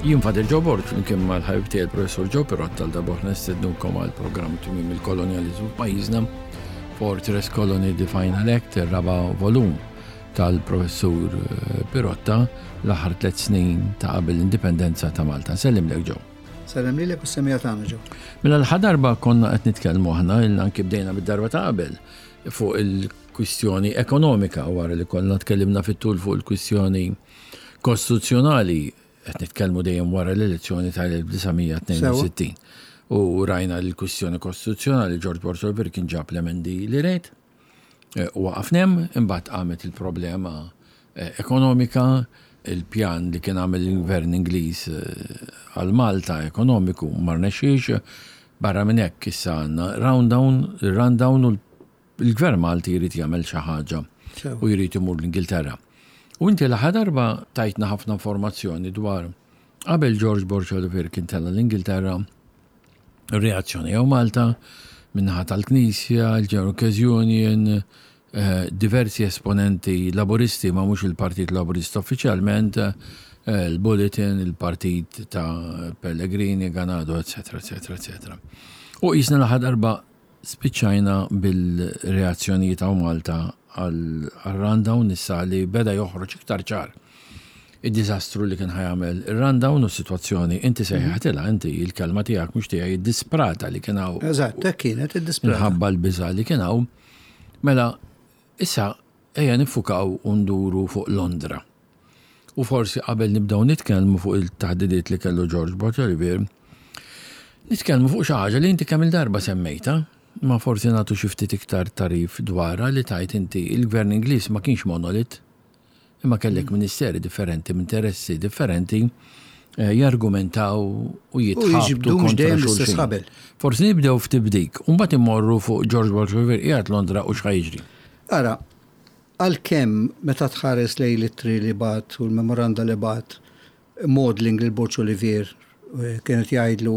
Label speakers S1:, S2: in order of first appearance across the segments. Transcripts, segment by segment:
S1: Jien Father Joe Borg flimkien mal-ħabib tiegħi il-Professur Joe Pirotta għal darba nistednukom għal programm Tmiem il-Kolonjaliżmu f'pajjiżna Fortress Colony The Final Act, ir-raba' volum tal-Professur eh, Pirotta l-aħħar tliet snin ta' qabel l-indipendenza ta' Malta. Sellimlek Joe.
S2: Sellem lilek u s-semija tagħna Joe.
S1: Mela l darba konna qed nitkellmu aħna, anki bdejna bid-darba ta' qabel fuq il-kwistjoni ekonomika wara li konna tkellimna fit-tul fuq il-kwistjoni kostituzzjonali qed nitkellmu dejjem wara l-elezzjoni tal-1962. U rajna l-kwistjoni kostituzzjonali George Borg kien ġab l-emendi li rejt. Eh, u waqafna hemm, imbagħad qamet il-problema eh, ekonomika, il-pjan li kien għamel il-gvern Ingliż eh, għal Malta ekonomiku ma rnexxiex, barra minn hekk issa għandna rundown, il-rundown u l-gvern Malti jrid jagħmel xi ħaġa u jrid imur l-Ingilterra. U inti l-aħħar darba tajtna ħafna informazzjoni dwar qabel George Borg Olivier kien tella l-Ingilterra reazzjoni jew Malta min-naħa tal-Knisja, il-General Workers Union, eh, diversi esponenti laburisti ma mhux il-Partit Laburista uffiċjalment, eh, il-Bulletin, il-Partit ta' Pellegrini, Ganado, eccetera, eccetera, eccetera. U jisna l darba spiċċajna bil-reazzjonijiet hawn Malta għal-rundown issa li beda joħroġ iktar ċar id-diżastru li kien ħa jagħmel ir-rundown u s-sitwazzjoni inti sejħatilha inti il-kelma tiegħek mhux tiegħi id-disprata li kien hawn.
S2: Eżatt, hekk kienet id-disprata.
S1: Minħabba l-biża' li kien hawn. Mela, issa ejja niffukaw u nduru fuq Londra. U forsi qabel nibdew nitkellmu fuq il-taħdidiet li kellu George Borg Olivier, nitkellmu fuq xi ħaġa li inti kemm il-darba semmejta, ma forsi nagħtu xi ftit iktar tagħrif dwarha li tajt inti il-Gvern Ingliż ma kienx monolit. Imma kellek ministeri differenti b'interessi differenti eh, jargumentaw u jitħabtu kontra xulxin. Forsi nibdew ftit b'dik, u mbagħad immorru fuq George Borg Olivier qiegħed Londra u x'ħa jiġri.
S2: Ara, għalkemm meta tħares lejn l-ittri li bagħat u l-memoranda li bagħat Maudling lil Borg Olivier eh, kienet jgħidlu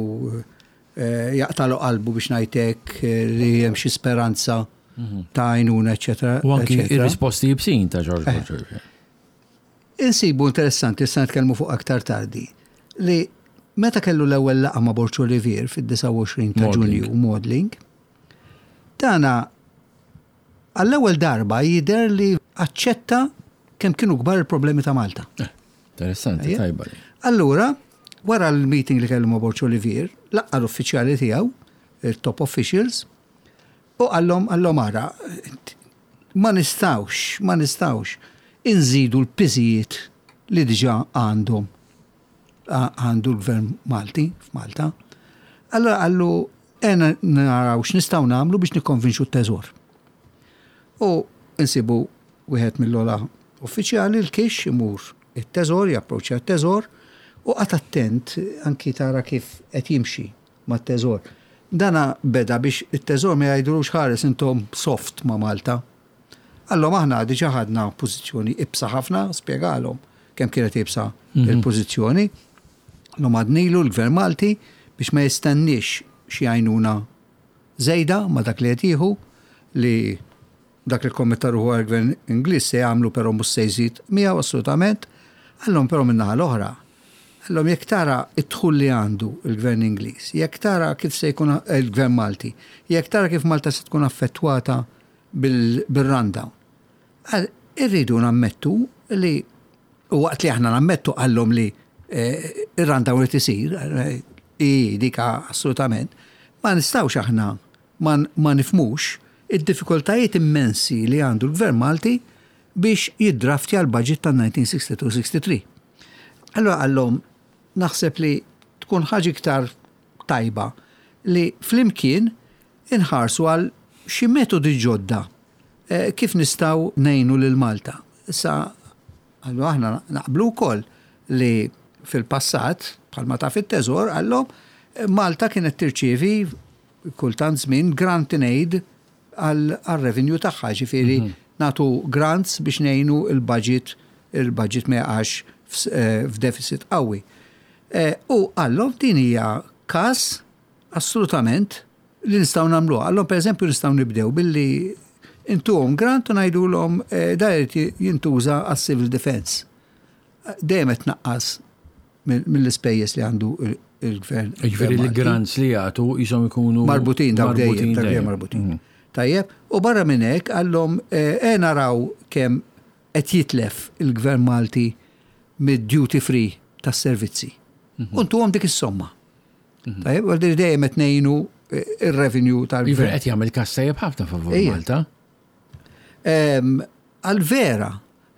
S2: eh, jaqtalu qalbu biex ngħid hekk li hemm xi speranza mhm. ta' għajnuna, eċetera.
S1: U anki ir-risposti jibsin ta' George eh. Bush.
S2: Insibu interessanti, issa nitkellmu fuq aktar tardi, li meta kellu l-ewwel laqgħa ma' Borg Olivier fid-29 ta' Ġunju Maudling, dana għall-ewwel darba jidher li aċċetta kemm kienu kbar il-problemi ta' Malta.
S1: Eh, interessanti, tajba.
S2: Allura, wara l-meeting li kellu ma' Borg Olivier, laqqa l-uffiċjali tiegħu, il-top officials, U qallhom, qallhom ara, ma nistgħux, ma nistgħux inżidu l-piżijiet li diġà għandhom għandu l-Gvern Malti f'Malta. Allura qallu għena naraw x'nistgħu nagħmlu biex nikkonvinċu t-teżor. U nsibu wieħed mill-ola uffiċjali l-kix imur it-teżor, japproċċja t-teżor u qagħad attent anki tara kif qed jimxi mat-Teżor. Dana beda biex it-Teżor ma jgħidulux ħares intom soft ma' Malta. Qallhom aħna diġà ħadna pożizzjoni ibsa ħafna, spjegalhom kemm kienet iebsa l-pożizzjoni. Qallhom għadnilu l-Gvern Malti biex ma jistenniex xi għajnuna żejda ma' dak li qed jieħu li Dak li kkommetta ruħu għall-Gvern Ingliż se jagħmlu però mhux se jżid miegħu assolutament. Qallhom però min-naħa l-oħra, qallhom jekk tara d-dħul li għandu l-Gvern Ingliż, jekk tara kif se jkun il-Gvern Malti, jekk tara kif Malta se tkun affettwata bil-rundown. Qal irridu nammettu li u waqt li aħna nammettu qallhom li eh, ir-rundown irid isir, eh, i dik assolutament, ma nistgħux aħna ma, ma nifhmux id-diffikultajiet immensi li għandu l-Gvern Malti biex jiddraftja l-budget tan-1962-63. Allura qallhom naħseb li tkun ħaġa iktar tajba li flimkien inħarsu għal xi metodi ġodda eh, kif nistgħu ngħinu lil Malta. Issa Qallu aħna naqblu wkoll li fil-passat, bħalma taf it-Teżor, qallhom, Malta kienet tirċievi kultant żmien grant in aid għar-revenue tagħha, ġifieri mhm. nagħtu grants biex ngħinu il-budget, il-budget ma jaqax eh, f'deficit qawwi. Eh, u qallhom din hija każ assolutament li nistgħu nagħmluha. Allora pereżempju nistgħu nibdew billi intuhom grant u ngħidulhom eh, da jrid jintuża għas-civil defense. Dejjem qed tnaqqas mill-ispejjeż li għandu il-gvern.
S1: Jiġifieri l-grants li jagħtu jisom ikunu
S2: marbutin dawk dejjem, dejjem marbutin. Tajjeb, u barra minn hekk qallhom e naraw kemm qed jitlef il-gvern Malti mid-duty free tas-servizzi. U ntuhom dik is-somma. Tajjeb, għal dejjem qed ngħinu ir-revenue tal-gvern.
S1: Jiġifieri qed jagħmel każ tajjeb ħafna favur Malta.
S2: Għal vera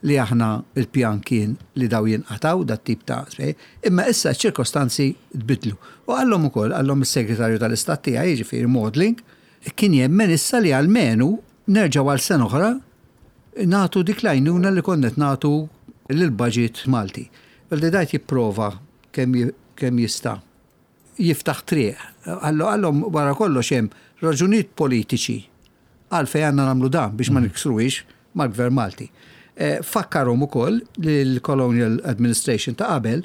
S2: li aħna il-pjan kien li daw jinqataw dat tip ta' spej, imma issa ċ-ċirkostanzi tbidlu. U qallhom ukoll, qallhom is-Segretarju tal-Istat tiegħi, jiġifieri Maudling, kien jemmen issa li almenu nerġgħu għal sena oħra nagħtu dik l-għajnuna li konna qed nagħtu lill-budget Malti. Li dajt jipprova kemm jista' jiftaħ triq. Qallhom wara kollox hemm raġunijiet politiċi għalfejn għandna nagħmlu dan biex ma niksruhiex mal-Gvern Malti. Fakkarhom ukoll li l-Colonial Administration ta' qabel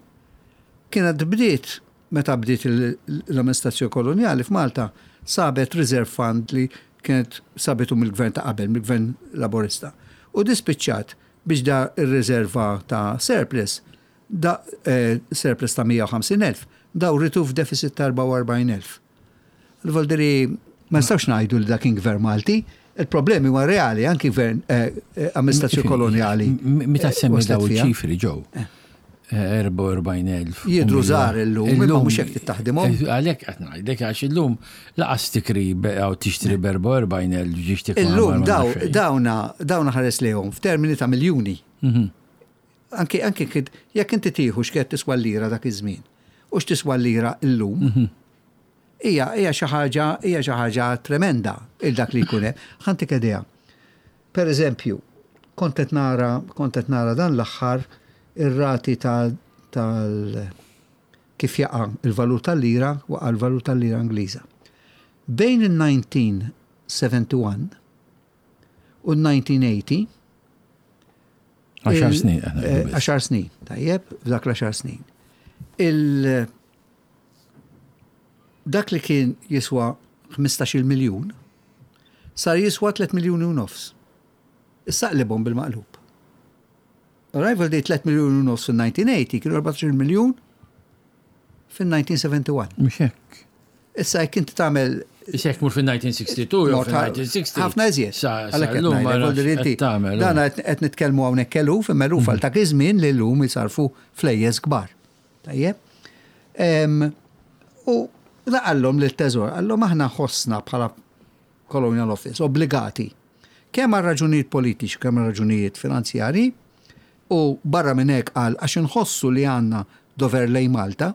S2: kienet bdiet meta bdiet l-amministrazzjoni kolonjali f'Malta sabet reserve fund li kienet sabitu mill-gvern ta' qabel, mill-gvern Laburista. U dispiċċat biex da ir-riserva ta' surplus, da surplus ta' 150,000, dawritu f'deficit ta' 44,000. Voldiri, ma nistgħux ngħidu li dak kien gvern Malti, il-problemi huma reali, anki gvern amministrazzjoni kolonjali.
S1: Meta semmi daw ċifri ġew. 44,000.
S2: Jidru żgħar illum, imma mhux hekk tittaħdimhom.
S1: Għalhekk qed ngħidlek għax illum laqas tikri għaw tixtri b'44,000 ġiex tikri.
S2: Illum dawna dawna ħares lejhom f'termini ta' miljuni. Anki anki jekk inti tieħu x'kienet tiswa l-lira dak iż-żmien u x'tiswa l-lira llum, hija hija xi ħaġa hija xi ħaġa tremenda il dak li jkun hemm. Ħa ntik idea. Per eżempju, kont qed nara kont qed nara dan l-aħħar ir-rati tal kif jaqa' il-valur tal-lira waqa' l-valur tal-lira Ingliża. Bejn il-1971 u l-1980
S1: Għaxar snin.
S2: Għaxar snin, tajjeb, f'dak l-għaxar snin. Il dak li kien jiswa 15 miljun sar jiswa 3 miljuni u nofs. Issa qlibhom bil-maqlub. Arrival date 3 miljuni u nofs fil-1980 kienu 14 miljun fil-1971.
S1: Mhux hekk.
S2: Issa jekk inti tagħmel
S1: Issa jekk mur fil-1962 jew fil-1960.
S2: Ħafna iżjed. Għalhekk qed ngħidlek, Dan qed nitkellmu hawnhekk eluf, imma eluf għal dak iż-żmien li llum jisarfu flejjes kbar. Tajjeb. U laqallhom lil teżor, qallhom aħna ħossna bħala Colonial Office obbligati kemm għal raġunijiet politiċi kemm għal raġunijiet finanzjarji u barra minn hekk qal għax inħossu li għandna dover lejn Malta,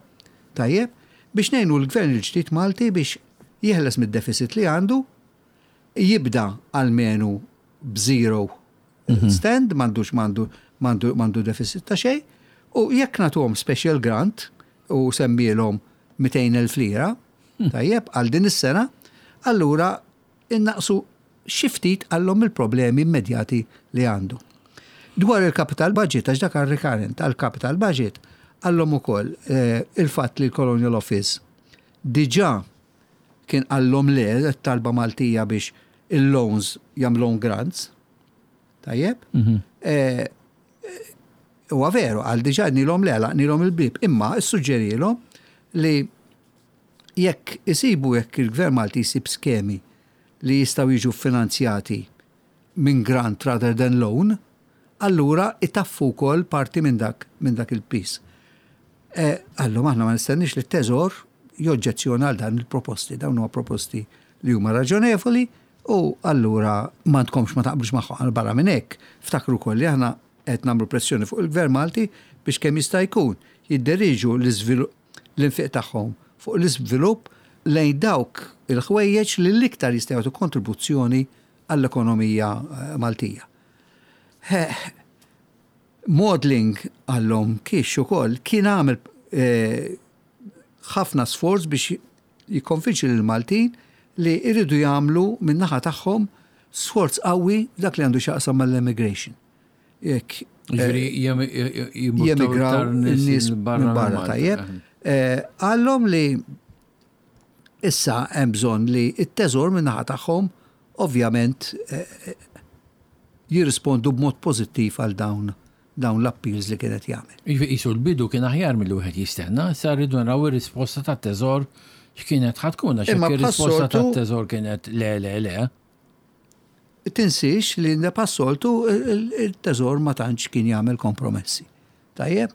S2: tajjeb, biex ngħinu l-Gvern il-ġdid Malti biex jeħles mid-deficit li għandu, jibda almenu b'zero stand, m'għandux m'għandu m'għandu m'għandu deficit ta' xejn, u jekk nagħtuhom special grant u semmielhom 200,000 lira, tajjeb, għal din is-sena, allura innaqsu xi ftit għallhom il-problemi immedjati li għandu. Dwar il-capital budget, għax dak għal recurrent, għal-capital budget, għallhom ukoll il-fatt li l-Colonial Office diġà kien qallhom le talba Maltija biex il-loans jagħmluhom grants. Tajjeb? Huwa veru, għal diġà nilhom le, nilhom il-bib, imma issuġġerilhom li jekk isibu jekk il-Gvern Malti jsib skemi li jistgħu jiġu finanzjati minn grant rather than loan, allura itaffu wkoll parti minn dak minn dak il-piż. Allura aħna ma nistennix li t-teżor joġġezzjona għal dan il-proposti, dawn huma proposti li huma raġonevoli u allura m'għandkomx ma taqblux magħhom barra minn hekk. Ftakru wkoll li aħna qed nagħmlu pressjoni fuq il-Gvern Malti biex kemm jista' jkun jidderiġu l-infiq tagħhom fuq l-iżvilupp lejn dawk il-ħwejjeġ li l-iktar jistgħu jagħtu kontribuzzjoni għall-ekonomija Maltija. Maudling għallhom kiex ukoll kien għamel ħafna sforz biex jikkonvinċi lill-Maltin li jridu jagħmlu min-naħa tagħhom sforz qawwi dak li għandu x'jaqsam mal-immigration. Jekk jemigraw in-nies minn barra tajjeb. Qallhom li issa hemm bżonn li t-teżor min-naħa tagħhom ovvjament jirrispondu b'mod pożittiv għal dawn. dawn l-appeals li kien qed jagħmel.
S1: Jiġifieri qisu l-bidu kien aħjar milli wieħed jistenna, issa rridu naraw ir-risposta tat-Teżor x'kienet ħa tkun għax jekk ir-risposta tat-Teżor kienet le le le.
S2: Tinsiex li bħas-soltu il-Teżor ma tantx kien jagħmel kompromessi. Tajjeb?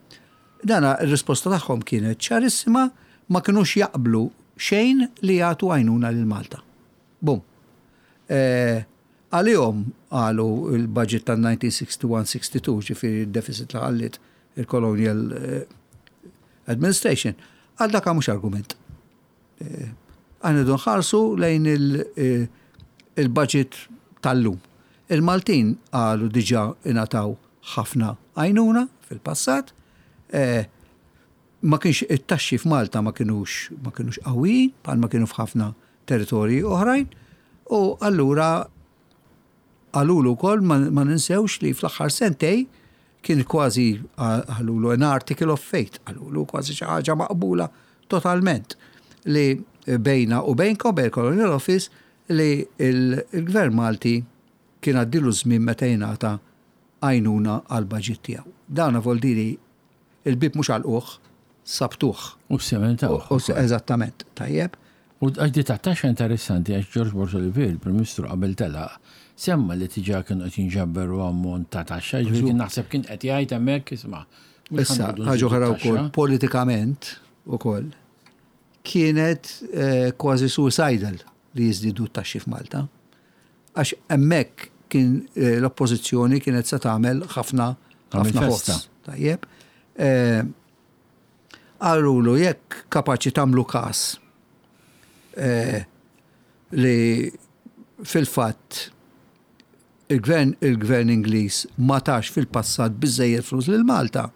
S2: Dana r-risposta tagħhom kienet ċarissima, ma kinux jaqblu xejn li jagħtu għajnuna lil Malta. Bum. Eh, Għalihom qalu l-budget tan-1961-62, ġifieri d-deficit li ħalliet il-Colonial Administration, għal dak mhux argument. Aħna rridu nħarsu lejn il-budget tal-lum. Il-Maltin qalu diġà ingħataw ħafna għajnuna fil-passat, ma kienx it-taxxi f'Malta ma kinux ma kinux qawwijin bħalma kienu f'ħafna territorji oħrajn u allura qalulu wkoll ma ninsewx li fl-aħħar sentej kien kważi qalulu an article of faith, qalulu kważi xi ħaġa maqbula totalment li bejna u bejnkom bejn Colonial Office li l-Gvern Malti kien għaddilu żmien meta jingħata għajnuna għall-baġit tiegħu. Dan voldiri Il-bieb mhux għalquh, sabtuh.
S1: U ssementawh.
S2: Eżattament, tajjeb.
S1: U għax di tat-taxxa interessanti għax George Borg Olivier, il-Prim Ministru qabel telaq, semma li diġà kienu qed jinġaberu ammont ta' taxxa, jiġifieri kien naħseb kien qed jgħid hemmhekk isma'
S2: Issa, ħaġa oħra wkoll, politikament ukoll, kienet kważi suicidal li jiżdiedu t-taxxi f'Malta. Għax hemmhekk kien l-Oppożizzjoni kienet se tagħmel ħafna ħafna ħoss. Tajjeb. Qalulu jekk kapaċi tagħmlu każ li fil-fatt il-gvern il-gvern Ingliż ma tax fil-passat biżejjed flus lil Malta,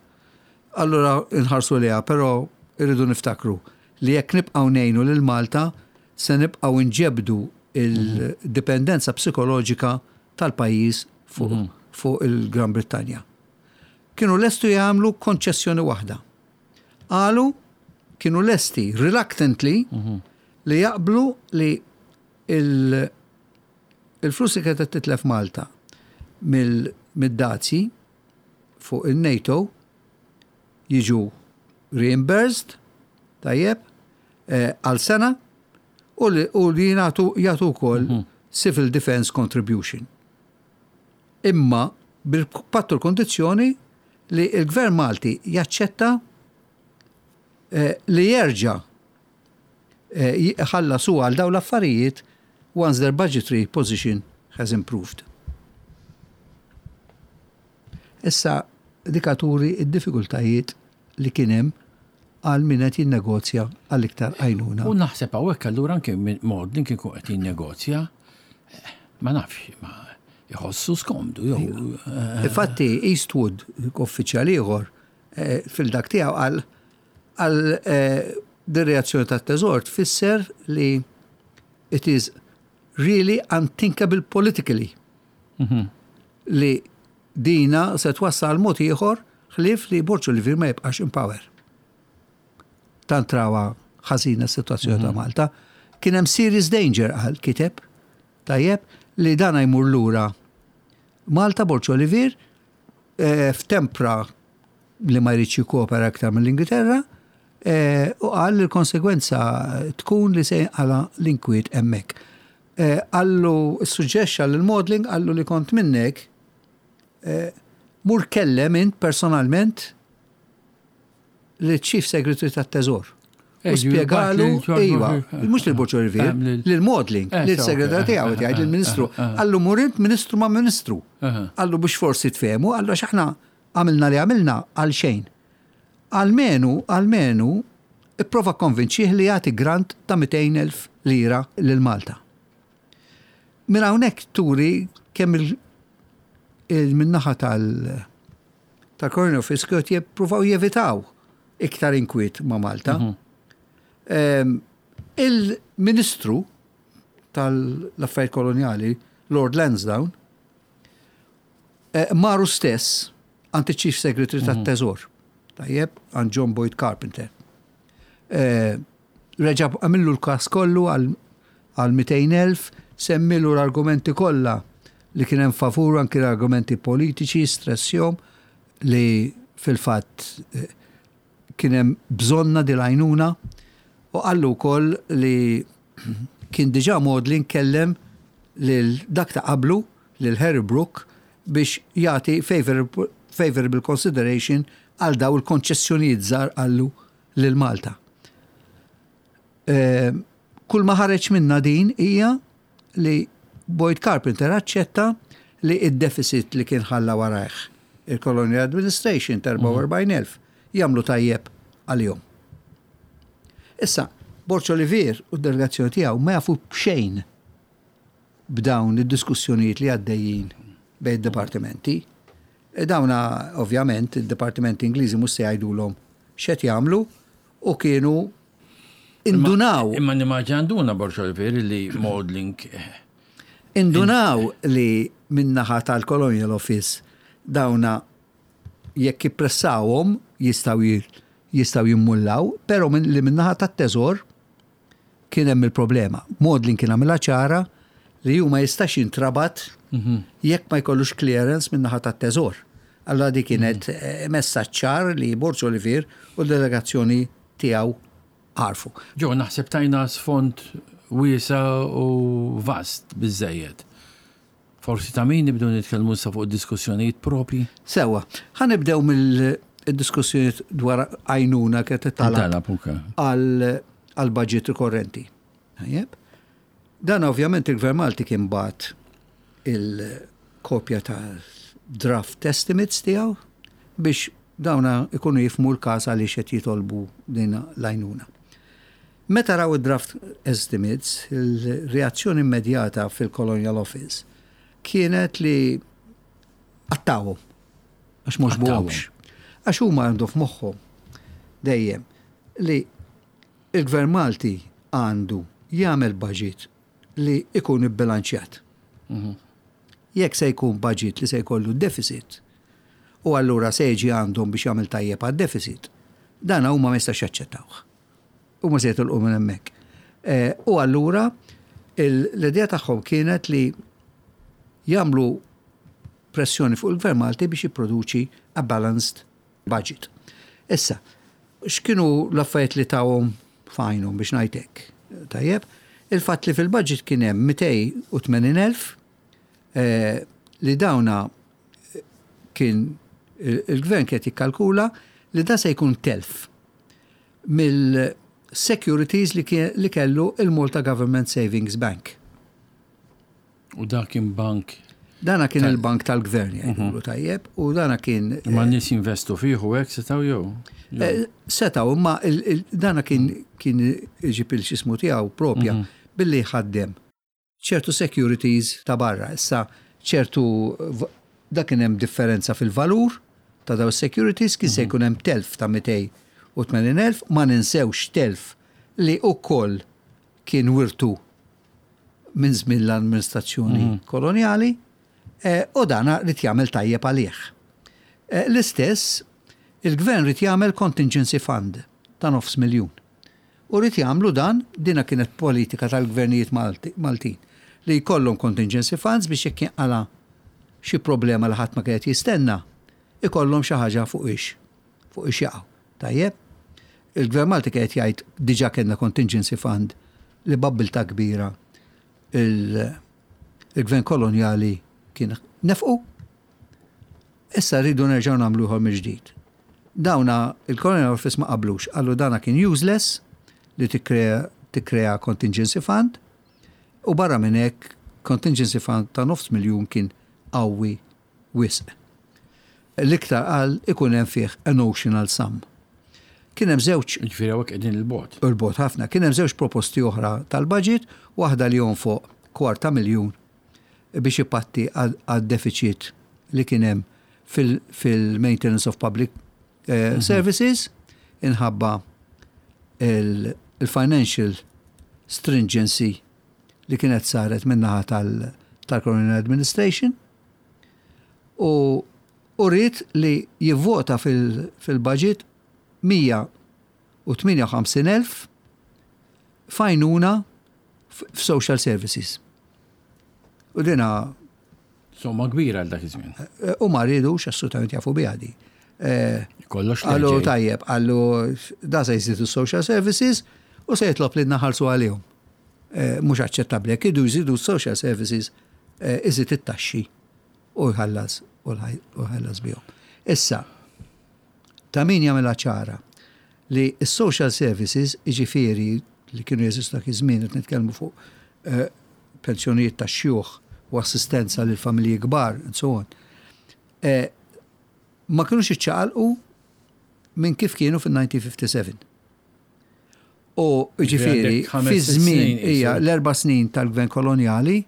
S2: allura nħarsu lejha, però rridu niftakru li jekk nibqgħu ngħinu lil Malta se nibqgħu nġebbdu il-dipendenza psikoloġika tal-pajjiż fuq il-Gran Brittanja. Kienu lestu jagħmlu konċessjoni waħda. Qalu kienu lesti reluctantly li jaqblu li il-flus li kienet titlef Malta mid-dazji fuq il-NATO jiġu reimbursed, tajjeb, għal sena u li jingħatu jagħtu wkoll mhm. civil defense contribution. Imma bil-pattu l-kondizzjoni li l-Gvern Malti jaċċetta eh, li jerġa' eh, jħallasu għal dawn l-affarijiet once their budgetary position has improved. Issa dika turi d-diffikultajiet li kien hemm għal min qed jinnegozja għal iktar għajnuna.
S1: U naħseb hawnhekk allura anke Maudlin kien ikun qed jinnegozja, ma nafx, ma jħossu skomdu jew.
S2: Infatti Eastwood, uffiċjal ieħor, fil-dak tiegħu qal għal din reazzjoni tat-Teżor tfisser li it is really unthinkable politically. Li dina se twassal mod ieħor ħlief li Borg Olivier ma jibqax in power. Tant rawha ħażina s-sitwazzjoni ta' Malta. Kien hemm serious danger qal kiteb tajjeb li dana jmur lura Malta Borg Olivier eh, f'tempra li ma jridx jikkopera iktar mill-Ingilterra eh, u qal li l-konsegwenza tkun li se jinqala l-inkwiet hemmhekk. Qallu, issuġġexxa lil Maudling, qallu li kont minnek, mur kellem int personalment liċ-Chief Secretary tat-Teżor. U spjegalu, iva, mhux lil Borg Olivier, lil Maudling, lil-segretarju tiegħu qed jgħid lill-Ministru. Qallu mur int Ministru ma' Ministru. Qallu biex forsi tfehmu, qallu għax aħna għamilna li għamilna għal xejn. Almenu, almenu, ipprova kkonvinċih li jagħti grant ta' 200,000 lira lil Malta. Minn hawnhekk turi kemm il min-naħa tal tal-Colonial Office kienu qed jippruvaw jevitaw iktar inkwiet ma' Malta. Mhm. Il-Ministru tal-Affarijiet Kolonjali, Lord Lansdowne, eh, maru stess għand iċ-Chief Secretary mhm. tat-Teżor. Tajjeb, għand John Boyd Carpenter. Eh, reġa' għamillu l-każ kollu għal 200,000, semmilu l-argumenti kollha li kien hemm favur anki l-argumenti politiċi, stressjom. li fil-fatt kien hemm bżonnha din l-għajnuna u qallu wkoll li kien diġà Maudlin kellem lil dak ta' qablu, lil Harry Brooke, biex jagħti favourable consideration għal daw il-konċessjonijiet żgħar qallu lil Malta. Kull ma ħareġ minna din hija li Boyd Carpenter aċċetta li id-deficit li kien ħalla warajh il-Colonial Administration ta' 44,000 jagħmlu tajjeb għalihom. Issa, Borg Olivier u d-delegazzjoni tiegħu ma jafu b'xejn b'dawn id-diskussjonijiet li għaddejjin bejn id-dipartimenti. E dawna, ovvjament, id-dipartimenti Ingliżi mhux se jgħidulhom x'qed jagħmlu u kienu indunaw.
S1: Imma nimmaġina nduna Borg Olivier li Maudling.
S2: Indunaw li min-naħa tal-Colonial Office dawna jekk jippressawhom jistgħu jistgħu jimmullaw, però li min-naħa tat-teżor kien hemm il-problema. Maudling kien għamilha ċara li hu ma jistax jintrabat jekk ma jkollux clearance min-naħa tat-teżor. Allora di kienet messaġġ ċar li Borg Olivier u l-delegazzjoni tiegħu għarfu.
S1: Ġo, naħseb tajna sfond wiesa u vast biżejjed. Forsi ta' min nibdew nitkellmu issa fuq diskussjonijiet propi.
S2: Sewa, ħa nibdew mill-diskussjonijiet dwar għajnuna kienet
S1: talab
S2: għal budget rikorrenti. Tajjeb. Dan ovvjament il-Gvern Malti kien bagħat il-kopja ta' draft estimates tiegħu biex dawna ikunu jifhmu l-każ għaliex qed jitolbu din l-għajnuna. Meta raw id-draft estimates, il-reazzjoni immedjata fil-Colonial Office kienet li qattgħuhom, għax mhux buhomx. Għax huma għandu f'moħħhom dejjem li il-Gvern Malti għandu jagħmel budget li ikun ibbilanċjat. Jekk se jkun budget li se jkollu deficit, u allura se jiġi għandhom biex jagħmel tajjeb għad-deficit, dan huma ma jistax jaċċettawh. Huma se jitilqu minn hemmhekk. U allura l-idea tagħhom kienet li jagħmlu pressjoni fuq il-Gvern Malti biex jipproduċi a balanced budget. Issa, x'kienu l-affarijiet li tawhom f'għajnhom biex ngħidlek? Tajjeb, il-fatt li fil-budget kien hemm 280,000 li dawna kien il-gvern kien jikkalkula li da se jkun telf mill-securities li kellu il-Malta Government Savings Bank.
S1: U da kien bank.
S2: Dana kien il-bank tal-gvern jgħidulu tajjeb, u dana kien.
S1: Ma nies jinvestu fih u hekk setgħu jew?
S2: Setgħu, imma dana kien iġib il-xismu tiegħu propja billi ħaddem ċertu securities ta' barra. Issa ċertu da kien hemm differenza fil-valur ta' daw securities kien se jkun hemm telf ta' 280,000, ma ninsewx telf li ukoll kien wirtu minn żmien l-amministrazzjoni koloniali u dana ried jagħmel tajjeb għalih. L-istess, il-gvern ried jagħmel contingency fund ta' 500,000. U ried jagħmlu dan, dina kienet politika tal-gvernijiet Maltin li jkollhom contingency funds biex jekk jinqala xi problema li ħadd ma kienet jistenna, ikollhom xi ħaġa fuq ix jaqgħu. Tajjeb? Il-Gvern Malti kienet jgħid diġà kellna contingency fund li b'abbiltà kbira il-gvern koloniali kien nefqu. Issa rridu nerġgħu nagħmlu ieħor mill-ġdid. Dawna il-Colonial Office ma qablux, qalu dana kien useless li tikkrea contingency fund u barra minn hekk contingency fund ta' 500,000 kien qawwi wisq. L-iktar qal ikun hemm fih a notional sum. Kien hemm żewġ
S1: Ġifieri hawnhekk qegħdin il-bogħod.
S2: Il-bogħod ħafna. Kien hemm żewġ proposti oħra tal-budget, waħda li fuq 250,000 biex ipatti għad-deficit li kien hemm fil-maintenance of public services inħabba il-financial stringency li kienet saret minnaħa tal-Colonial Administration u ried li jivvota fil-budget 158,000 f'għajnuna f'social services. U dina
S1: Somma kbira għal dak iż-żmien.
S2: U ma ridux assolutament jafu biha di.
S1: Kollox
S2: Qallu tajjeb, qallu da se jżidu social services u se jitlob li naħallsu għalihom. Mhux aċċettabbli, jekk iridu jżidu social services, iżid it-taxxi u jħallas u jħallas bihom. Issa, ta' min jagħmilha ċara li s-social services, jiġifieri li kienu jeżistu dak iż-żmien, qed nitkellmu fuq pensjonijiet tax-xjuħ u assistenza lil familji kbar and so on, ma kinux iċċaqalqu minn kif kienu fil-1957. U ġifieri, fi żmien hija l-erba' snin tal-gvern kolonjali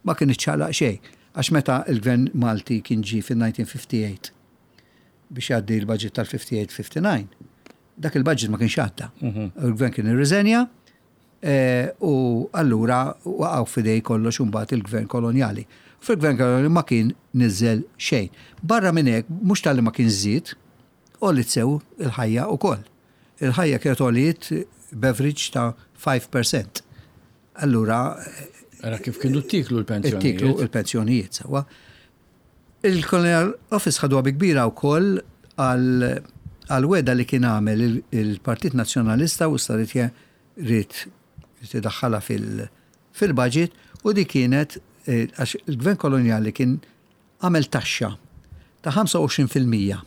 S2: ma kien iċċaqlaq xejn. Għax meta l-gvern Malti kien ġie fil-1958 biex jgħaddi l-budget tal-58-59, dak il-budget ma kienx għadda. Il-gvern kien irriżenja u allura waqgħu f'idej kollox imbagħad il-gvern kolonjali. Fil-gvern kolonjali ma kien niżel xejn. Barra minn hekk, mhux talli ma kien żied, għoliet sew il-ħajja wkoll. Il-ħajja kienet għoliet b'average ta' 5%. Allura.
S1: Ara kif kienu ttiklu l-pensjonijiet.
S2: Ttiklu l-pensjonijiet, sewwa. Il-Colonial Office ħaduha bi kbira wkoll għal wegħda li kien għamel il-Partit Nazzjonalista u issa ried ried idaħħalha fil-budget u di kienet għax il-Gvern Kolonjali kien għamel taxxa ta' 25%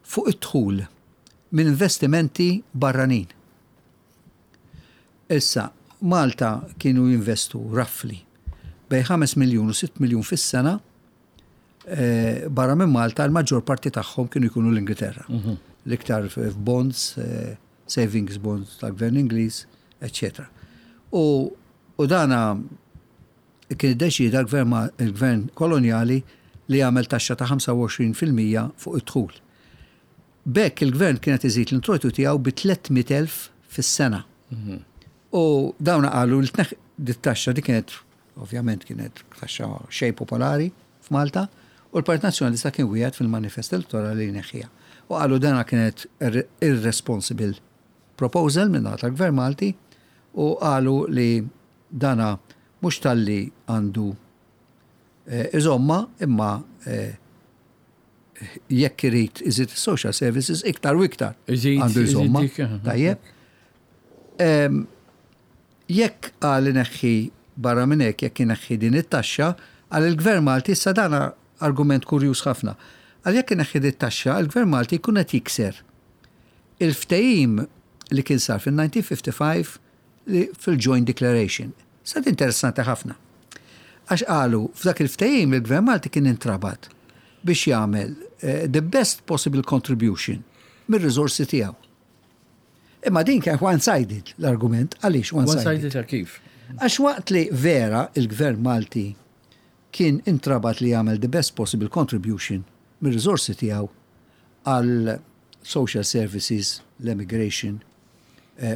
S2: fuq id-dħul minn investimenti barranin. Issa, Malta kienu jinvestu roughly bejn 5 miljun u 6 miljun fis-sena barra minn Malta, l-maġġor parti tagħhom kienu jkunu l-Ingilterra. L-iktar f'bonds, savings bonds tal-gvern Ingliż, eccetera. U dana kien iddeċieda l-gvern kolonjali li jagħmel taxxa ta' 25% fuq id-dħul. B'hekk il-gvern kien qed iżid l-introjtu tiegħu bi 300,000 fis-sena. U dawn qalu li tneħ dit-taxxa di kienet ovvjament kienet taxxa xejn popolari f'Malta u l-Partit Nazzjonalista kien wieħed fil-manifest elettorali li jneħħiha. U qalu dana kienet irresponsible proposal minn tal-Gvern Malti u qalu li dana mhux talli għandu iżomma imma jekk irid iżid social services iktar u iktar għandu iżomma. Tajjeb. Jekk qal ineħħi barra minn hekk jekk ineħħi din it-taxxa, qal il-Gvern Malti issa dana argument kurjuż ħafna. Qal jekk ineħħi din it-taxxa, il-Gvern Malti jkun qed jikser il-ftehim li kien sar fil-1955 li fil-Joint Declaration. Sa interessanti ħafna. Għax qalu f'dak il-ftehim il-Gvern Malti kien intrabat biex jagħmel the best possible contribution mir-riżorsi tiegħu. Imma din kien one-sided l-argument, għaliex one-sided?
S1: One-sided kif?
S2: Għax waqt li vera il-Gvern Malti kien intrabat li jagħmel the best possible contribution mir-riżorsi tiegħu għal social services, l-immigration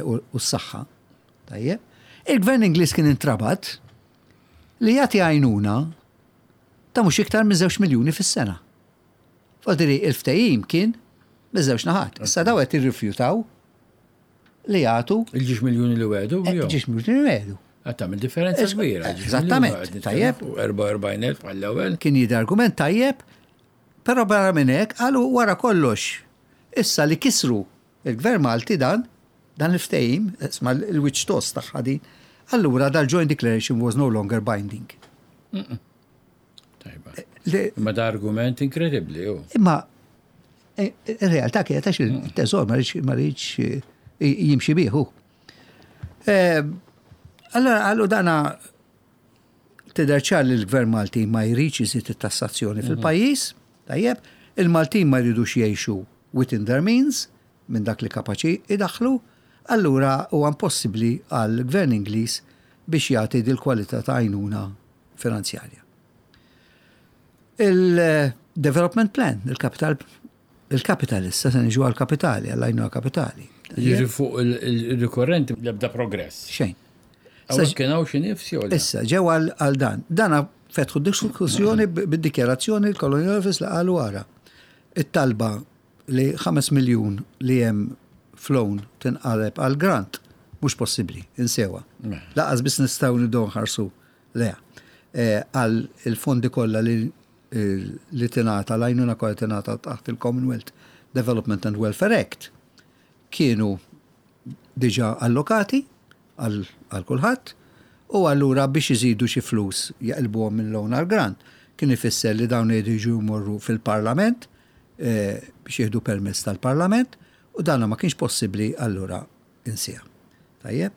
S2: u s-saħħa. Tajjeb. Il-Gvern Ingliż kien intrabat li jagħti għajnuna ta' mhux iktar minn 2 miljuni fis-sena. Fadiri il-ftehim kien miż-żewġ naħat. Issa daw qed irrifjutaw li jagħtu
S1: Il-2 miljuni li wegħdu?
S2: 2 miljuni li wegħdu.
S1: Qed tagħmel differenza kbira.
S2: Eżattament, tajjeb.
S1: 44,000 bħall-ewwel.
S2: Kien jidher argument tajjeb, però barra minn hekk qalu wara kollox. Issa li kisru il-Gvern Malti dan il-ftehim, isma' il-wiċċ tost tagħha din, allura dal-Joint Declaration was no longer binding.
S1: Tajba. Imma da argument inkredibbli, ju.
S2: Imma ir-realtà kienet għax il-teżor ma rridx jimxi bih. Allora qalu dana tidher ċar li l-Gvern Malti ma jridx iżid it-tassazzjoni fil-pajjiż, tajjeb, il-Maltin ma jridux jgħixu within their means minn dak li kapaċi idaħlu, allura huwa impossibbli għall-Gvern Ingliż biex jagħti dil-kwalità ta' għajnuna finanzjarja. Il-development plan, il-capital, il-capital issa se niġu għal-kapitali, għall-għajnuna kapitali.
S1: Jiġi fuq il-rikorrenti l-ebda progress.
S2: Xejn.
S1: Hawnhekk kien hawn xi nifs jew le?
S2: Issa, ġew għal dan. Dana fetħu diskussjoni bid-dikjarazzjoni l-Colonial Office li qalu wara. It-talba li 5 miljun li hemm f'loan tinqaleb għal grant mhux possibbli, insewha. Lanqas biss nistgħu nibdew nħarsu leha. Għal il-fondi kollha li li tingħata l-għajnuna kollha tingħata taħt il-Commonwealth Development and Welfare Act kienu diġà allokati għal kulħadd u allura biex iżidu xi flus jaqilbuhom minn loan għal grant kien ifisser li dawn iridu jiġu jmorru fil-Parlament biex jieħdu permess tal-Parlament u dana ma kienx possibbli allura insiha. Tajjeb?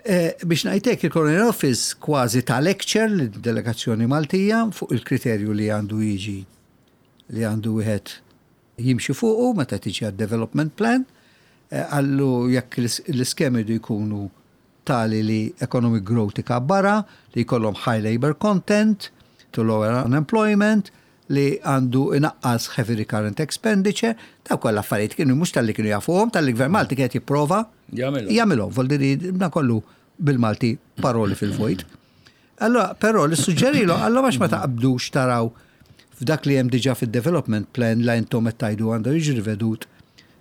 S2: Biex ngħid hekk il-Colonial Office kważi ta lecture lid-delegazzjoni Maltija fuq il-kriterju li għandu jiġi li għandu wieħed jimxi fuqu meta tiġi għad-development plan. Qallu jekk l-iskemi jridu jkunu tali li economic growth ikabbarha, li jkollhom high labour content, to lower unemployment, li għandu inaqqas heavy recurrent expenditure, daw kollha affarijiet kienu mhux talli kienu jafuhom, talli gvern Malti kien qed jipprova jagħmilhom. Voldiri dan kollu bil-Malti paroli fil-vojt. Allora, però li suġġerilu, allora għax ma taqbdux taraw f'dak li hemm diġà fid-development plan la intom qed tgħidu għandu jiġi rivedut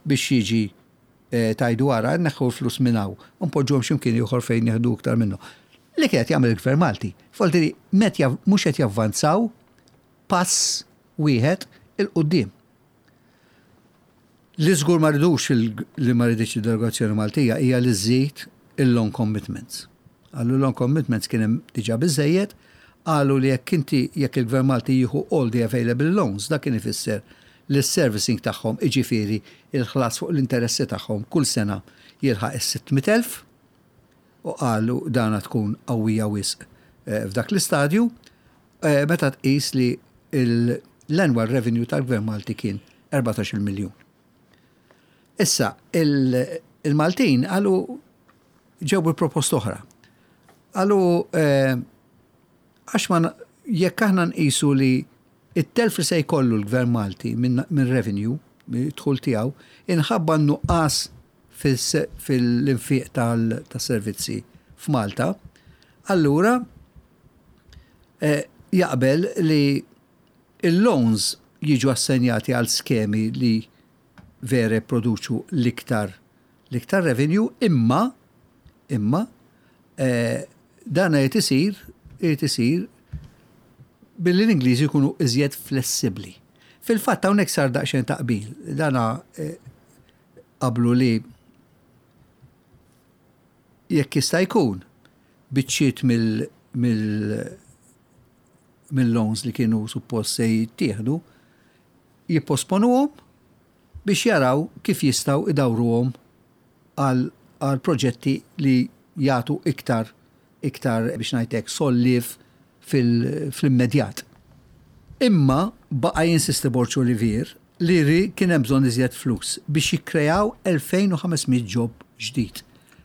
S2: biex jiġi eh, tgħidu ara neħħu l-flus minn hawn u npoġġuhom x'imkien ieħor fejn nieħdu iktar minnu. Li kienet jagħmel il-Gvern Malti. Voldiri mhux qed javvanzaw pass wieħed 'il quddiem. Li żgur ma ridux li ma riditx id-delegazzjoni Maltija hija li żżid il-loan commitments. Qalu loan commitments kien hemm diġà biżżejjed, qalu li jekk inti jekk il-Gvern Malti jieħu all the available loans dak kien ifisser li s-servicing tagħhom iġifieri il-ħlas fuq l-interessi tagħhom kull sena jilħaq is-600,000 u qalu dana tkun qawwija wisq f'dak l-istadju. Meta tqis li l-annual revenue tal-Gvern Malti kien 14-il miljun. Issa, il-Maltin qalu ġew bi proposta oħra. Qalu għax ma jekk aħna nqisu li it-telf li se jkollu l-Gvern Malti minn revenue, mid-dħul tiegħu, inħabba n-nuqqas fil-infiq tas-servizzi f'Malta, allura jaqbel li l-loans jiġu assenjati għal skemi li vera jipproduċu l-iktar l-iktar revenue imma imma dan irid isir irid isir billi l-Ingliżi jkunu iżjed flessibbli. Fil-fatt hawnhekk sar daqsxejn ta' qbil. Dana qablu li jekk jista' jkun, biċċiet mill-loans li kienu suppost se jittieħdu, jipposponuhom biex jaraw kif jistgħu idawruhom għal proġetti li jagħtu iktar iktar biex ngħid hekk solliev fl-immedjat. Imma baqa' jinsisti Borg Olivier li ri kien hemm bżonn iżjed flus biex jikkreaw 2,500 job ġdid.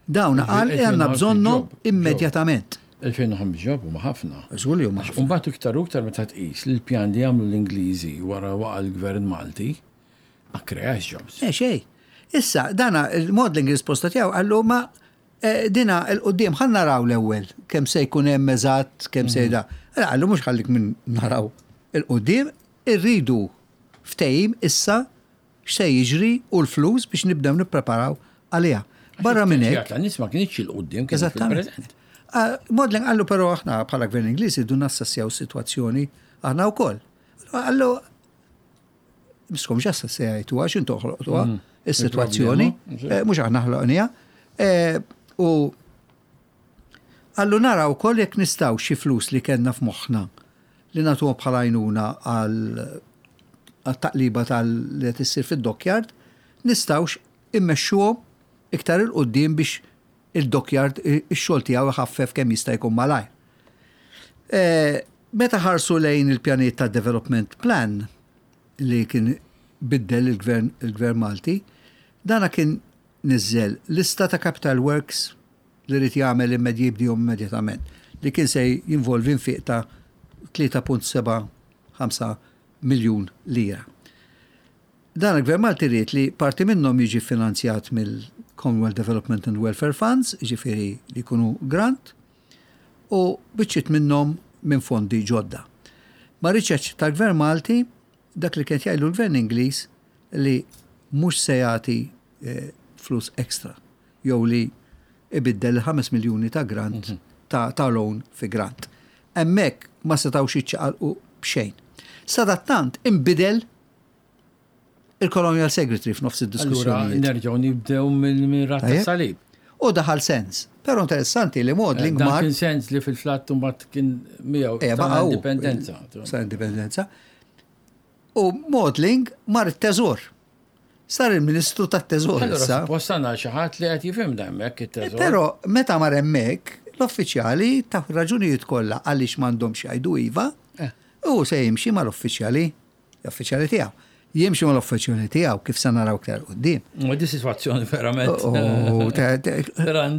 S2: Dawn qal li għandna bżonnhom immedjatament.
S1: 2,500 job huma ħafna.
S2: Żgur li huma ħafna.
S1: U mbagħad iktar u iktar meta tqis li l-pjan li għamlu l-Ingliżi wara waqa' l-Gvern Malti ma kkreax jobs.
S2: Le xejn. Issa, dana il-Maudling risposta tiegħu qallu ma dina 'l quddiem ħa naraw l-ewwel kemm se jkun hemm eżatt, kemm se da. Qallu mhux ħallik minn naraw 'il quddiem, irridu ftehim issa x'se jiġri u l-flus biex nibdew nippreparaw għaliha. Barra minn hekk.
S1: Tan-nies ma kinitx 'il quddiem kienet fil-preżent.
S2: Maudling qallu però aħna bħala Gvern Ingliż irridu nassessjaw is-sitwazzjoni aħna wkoll. Qallu miskom ġassa se jgħidu għax intu ħloqtuha mm. is-sitwazzjoni, eh, mhux aħna ħloqniha. Eh, u għallu nara wkoll jekk nistgħu xi flus li kellna f'moħħna li nagħtuhom bħala għajnuna għal taqliba tal li qed issir fid-dockyard, nistgħux immexxuhom iktar 'il quddiem biex il-dockyard ix-xogħol tiegħu iħaffef kemm jista' jkun malajr. Eh, meta ħarsu lejn il-pjanijiet ta' development plan li kien biddel il-gvern il-gvern Malti, dana kien niżżel lista ta' capital works li rid jagħmel jibdihom immedjatament, li kien se jinvolvi nfiq ta' 3.75 miljun lira. Dan il-Gvern Malti ried li parti minnhom jiġi ffinanzjat mill-Commonwealth Development and Welfare Funds, jiġifieri li jkunu grant, u biċċiet minnhom minn fondi ġodda. Ma riedx jaċċetta l-Gvern Malti dak li kien qed jgħidlu l-Gvern Ingliż li mhux se jagħti flus extra jew li ibiddel il-5 miljuni ta' grant ta' loan fi grant. Hemmhekk ma setgħux jiċċaqalqu. b'xejn. Sadattant inbidel il-Colonial Secretary f'nofs id-diskussjoni.
S1: Allura nerġgħu nibdew minn rat salib.
S2: U daħal Sands. Però interessanti li Maudling
S1: mar. Kien Sands li fil-flatt mbagħad kien miegħu eh, ta' indipendenza.
S2: Sa' indipendenza. U Maudling mar it-teżor. Sar il-Ministru tat-Teżor
S1: issa. Suppost għandna xi ħadd li qed jifhimna hemmhekk it-Teżor.
S2: Però meta mar hemmhekk, l-uffiċjali taw raġunijiet kollha għaliex m'għandhomx jgħidu iva, eh. u se jimxi mal-uffiċjali, l-uffiċjali tiegħu. Jimxi mal-uffiċjali tiegħu kif se naraw iktar quddiem.
S1: Ma di sitwazzjoni verament.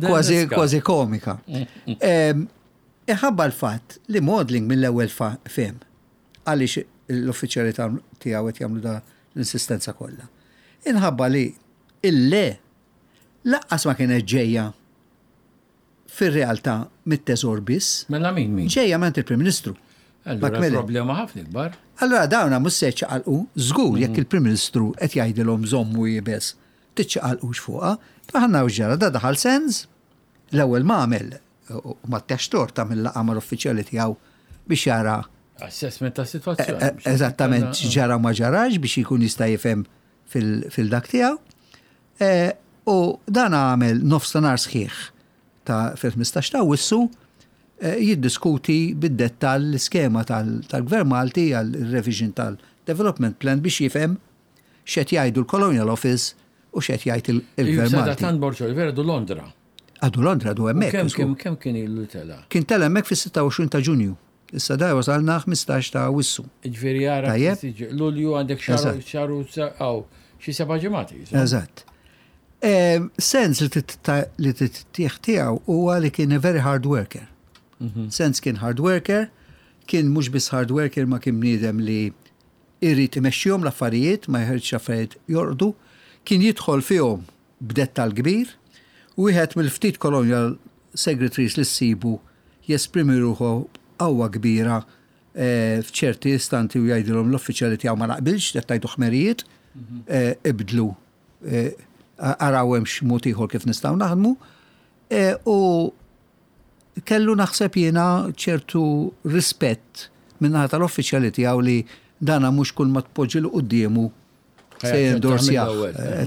S2: Kważi kważi komika. Iħabba l-fatt li Maudling mill-ewwel fehem għaliex l-uffiċjali tiegħu qed jagħmlu da l-insistenza kollha. Inħabba li il-le laqqas ma kienet ġejja fir-realtà mit-teżor biss.
S1: Mela min min?
S2: Ġejja minn il-Prim Ministru.
S1: Allura problema ħafna ikbar.
S2: Allura dawna mhux se jċaqalqu, żgur jekk mhm. il-Prim Ministru qed jgħidilhom żommu jibes, tiċċaqalqux fuqha. Aħna ġara da daħal sens, l-ewwel ma għamel u ma tex torta mill-laqgħa mal-uffiċjali tiegħu biex jara
S1: Assessment ta' situazzjoni. Eh,
S2: eh, eżattament ġara ma ġarax biex jkun jista' jifhem fil-dak tiegħu. Eh, u dan għamel nofstanhar sħiħ ta' fil-15 ta' wissu jiddiskuti bid-dettall l-iskema tal-Gvern Malti għal-revision tal-Development Plan biex jifhem x'qed jgħidu l-Colonial Office u x'qed jgħid il-Gvern Malti.
S1: Tant Borg Oliveira għadu Londra.
S2: Għadu Londra, għadu hemmhekk.
S1: Kemm kemm kien ilu tela'?
S2: Kien tela' hemmhekk fis-26 ta' Ġunju. Issa da wasalna 15 ta' Awwissu.
S1: Jiġifieri ara Lulju għandek xahar xahar u xi seba' ġimgħat.
S2: Eżatt. Sens li tittieħ tiegħu huwa li kien a very hard worker. Mhm. Sens kien hard worker, kien mhux biss hard worker ma kien bniedem li irid imexxihom l-affarijiet, ma jħeġġ affarijiet jorqdu, kien jidħol fihom b'dettall kbir, wieħed mill-ftit colonial secretaries li ssibu jesprimi ruħu b'qawwa kbira f'ċerti istanti u jgħidilhom l-uffiċjali tiegħu ma naqbilx, qed tgħidu ħmerijiet, ibdlu, araw hemmx mod ieħor kif nistgħu naħdmu. U kellu naħseb jiena ċertu rispett min-naħa tal-uffiċjali tiegħu li dana mhux kull ma tpoġġilu quddiemu se jendorsjah.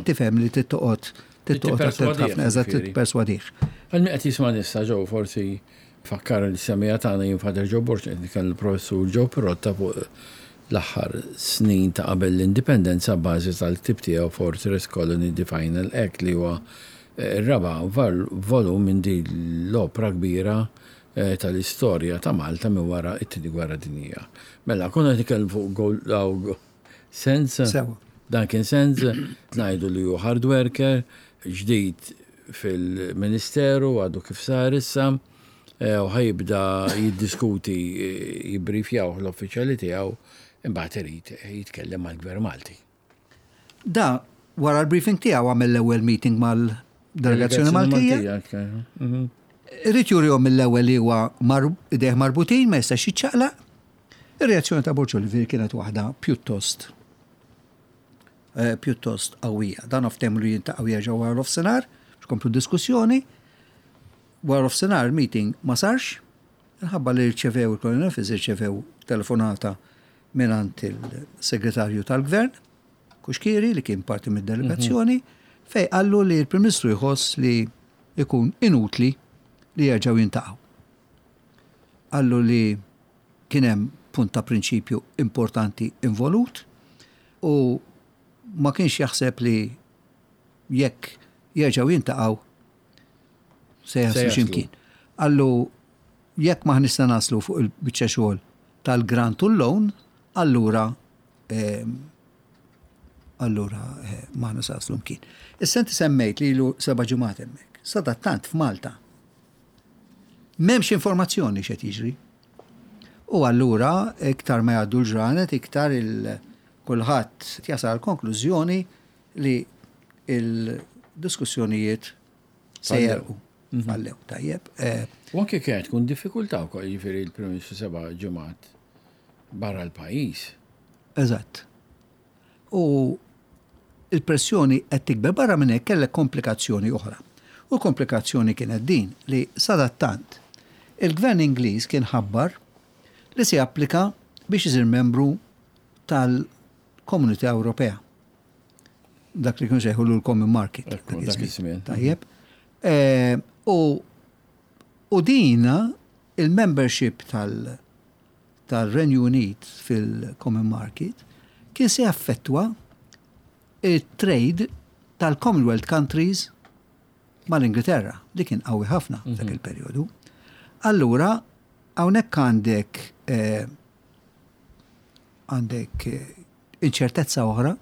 S2: Tifhem li trid toqgħod trid toqgħod attent ħafna, eżatt trid tipperswadih.
S1: Għal min qed jisma' issa Joe forsi fakkar li semija tagħna jien Father Joe Borg qed nitkellem il-Professur Joe Pirotta fuq l-aħħar snin ta' qabel l-Indipendenza abbażi tal-ktieb tiegħu Fortress Colony The Final Act li huwa r-raba' volum minn din l-opra kbira tal-istorja ta' Malta minn wara t-Tieni Gwerra Dinjija. Mela, konna qed nitkellmu fuq Sands.
S2: Sewa.
S1: Dan kien Sands, ngħidu li hu hard worker, ġdid fil-Ministeru, għadu kif sar issa, u ħa jibda jiddiskuti, jibbrifjawh l-uffiċjali tiegħu, imbagħad irid jitkellem mal-Gvern Malti.
S2: Da, wara l-briefing tiegħu għamel l-ewwel meeting mal-delegazzjoni Maltija. Mhm. Irid jurihom mill-ewwel li huwa idejh marbutin ma jistax jiċċaqlaq. Ir-reazzjoni ta' Borg Olivier kienet waħda pjuttost eh, pjuttost qawwija. Dan oftehmu li jintaqgħu jerġgħu wara nofsinhar biex komplu diskussjoni. Wara nofsinhar meeting ma sarx, minħabba li rċevew il-Colonial Office irċevew telefonata mingħand il-Segretarju tal-Gvern, Kuxkieri, li kien parti mid-delegazzjoni, mhm. fej qallu li l-Prim Ministru jħoss li jkun inutli li jerġgħu jintaqgħu. Qallu li kien hemm punt ta' prinċipju importanti involut u ma kienx jaħseb li jekk jerġgħu jintaqgħu se jaslu x'imkien. Qallu jekk m'aħniex se naslu fuq il-biċċa xogħol tal-grant u l-loan, allura ehm, allura eh, m'aħna se naslu mkien. Issa inti semmejt li ilu seba' ġimgħat hemmhekk. Sadattant f'Malta m'hemmx informazzjoni x'qed jiġri. U allura iktar ma jgħaddu l-ġranet, iktar il kulħadd jasal konklużjoni li il-diskussjonijiet se jerqu. Mhm. Fallew, tajjeb.
S1: Eh, U anke kienet tkun diffikultà wkoll jiġifieri l-Prim Ministru seba' ġimgħat barra l-pajjiż.
S2: Eżatt. U il-pressjoni qed tikber barra minn hekk kellek komplikazzjoni oħra. U l-komplikazzjoni kienet din li sadattant il-Gvern Ingliż kien ħabbar li se japplika biex isir membru tal-Komunità Ewropea. Dak li kienu sejħu l-Common Market.
S1: Dak iż-żmien.
S2: Tajjeb. Eh, u u dina il-membership tal- tal-Renju Unit fil-Common Market kien se jaffettwa it-trade tal-Commonwealth countries mal-Ingilterra, li kien qawwi ħafna dak il-perjodu. Allura, hawnhekk għandek eh, għandek eh, inċertezza oħra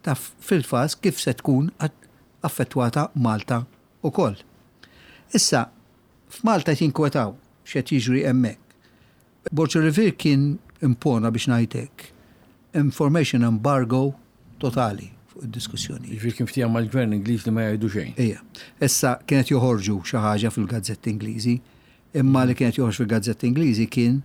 S2: ta' fil-faż kif se tkun affettwata Malta ukoll. Issa, f'Malta qed jinkwetaw x'qed jiġri hemmhekk. Borg Olivier kien impona biex ngħid hekk information embargo totali fuq id-diskussjoni.
S1: Jiġifieri kien ftehim mal-gvern Ingliż li ma jgħidu xejn.
S2: Ija. Issa kienet joħorġu xi ħaġa fil-gazzetti Ingliżi, imma li kienet joħorġ fil-gazzetti Ingliżi kien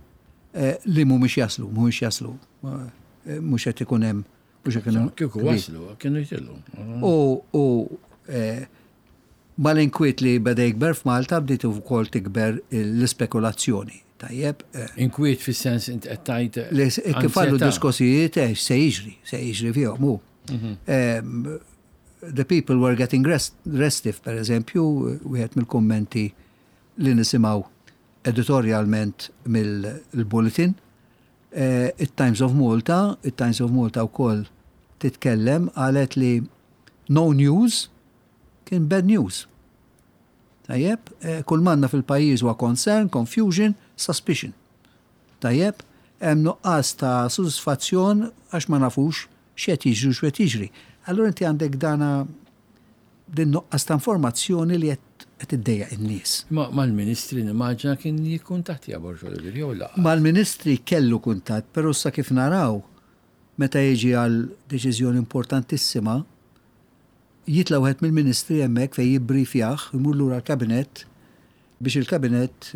S2: eh, li mhumiex jaslu, mhumiex jaslu. Eh, mhux qed ikun hemm mhux qed ikun hemm.
S1: Kieku waslu, kienu jtillu.
S2: U eh, mal-inkwiet li beda jikber f'Malta bdiet ukoll tikber l-ispekulazzjoni. Tajjeb.
S1: Eh, Inkwiet fis-sens int qed tgħid.
S2: Eh, kif għallu diskussijiet eh, se jiġri, se jiġri fihom hu. Mhm. The people were getting rest, restive, per eżempju, wieħed mill-kummenti li nisimgħu editorialment mill-bulletin. It-Times of Malta, it-Times of Malta wkoll titkellem qalet li no news kien bad news. Tajjeb, eh, kull manna fil-pajjiż huwa concern, confusion, suspicion. Tajjeb, hemm nuqqas ta' sodisfazzjon għax ma nafux x'qed jiġri u x'qed jiġri. Allura inti għandek dana din nuqqas ta' informazzjoni li qed iddejjaq in-nies.
S1: Ma mal-ministri nimmaġina kien jikkuntattja Borg Olivier jew la?
S2: Mal-ministri kellu kuntatt, però issa kif naraw meta jiġi għal deċiżjoni importantissima, jitla' wieħed mill-ministri hemmhekk fejn jibbriefjah, imur lura l-kabinett biex il-kabinett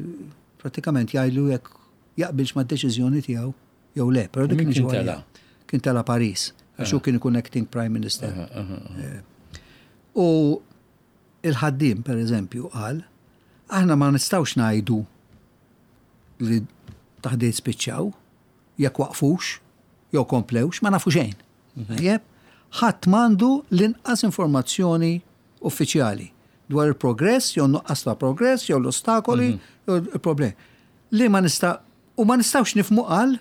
S2: prattikament jgħidlu jekk jaqbilx mad-deċiżjoni tiegħu jew le.
S1: Però dik kien tela'?
S2: Kien tela' Paris, għax hu kien ikun acting prime minister. Eh, u il-ħaddiem, per eżempju, qal, aħna ma nistgħux ngħidu li taħdiet spiċċaw, jekk waqfux, jew komplewx, ma nafu xejn. Tajjeb? Ħadd m'għandu l-inqas informazzjoni uffiċjali dwar il-progress jew nuqqas ta' progress jew l-ostakoli mhm. jew il-problemi. Li ma nista' u ma nistgħux nifmu qal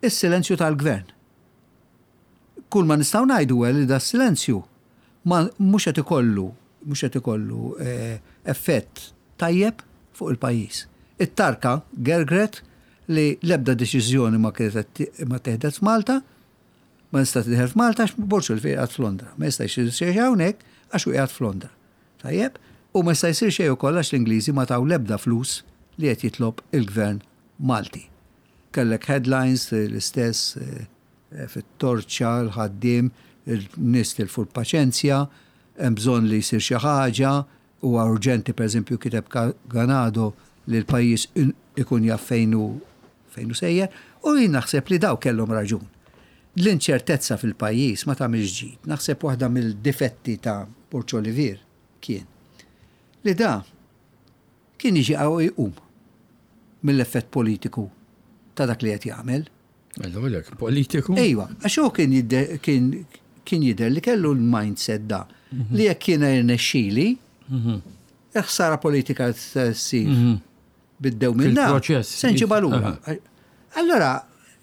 S2: is-silenzju tal-gvern. Kull ma nistgħu ngħidu li da silenzju ma mhux qed ikollu mhux qed ikollu eh, effett tajjeb fuq il-pajjiż. It-tarka gergret li l-ebda deċiżjoni ma kienet ma teħdet f'Malta, ma nista' tidħel f'Malta għax Borg Olivier qiegħed f'Londra. Ma jista' jsir xejn hawnhekk għax hu qiegħed f'Londra. Tajjeb? U ma jista' jsir xejn ukoll għax l-Ingliżi ma taw l-ebda flus li qed jitlob il-Gvern Malti. Kellek headlines l-istess eh, fit-torċa, l-ħaddiem, il-nies tilfu l-paċenzja, hemm bżonn li jsir xi ħaġa, Huwa urġenti, pereżempju, kiteb Ganado, li l-pajjiż ikun jaf fejn hu fejn hu sejjer, u jien naħseb li dawk kellhom raġun. L-inċertezza fil-pajjiż ma tagħmilx ġid. Naħseb waħda mill-difetti ta' Borg Olivier kien li da kien jiġi qawwi jqum mill-effett politiku ta' dak li qed jagħmel.
S1: Għalek, politiku?
S2: Ejwa, għax hu kien kien kien jidher li kellu l-mindset da mhm. li jekk jiena jirnexxili, mhm. il-ħsara politika ssir mhm. biddew minn da.
S1: Fil-proċess.
S2: Se nġibha lura. Allora,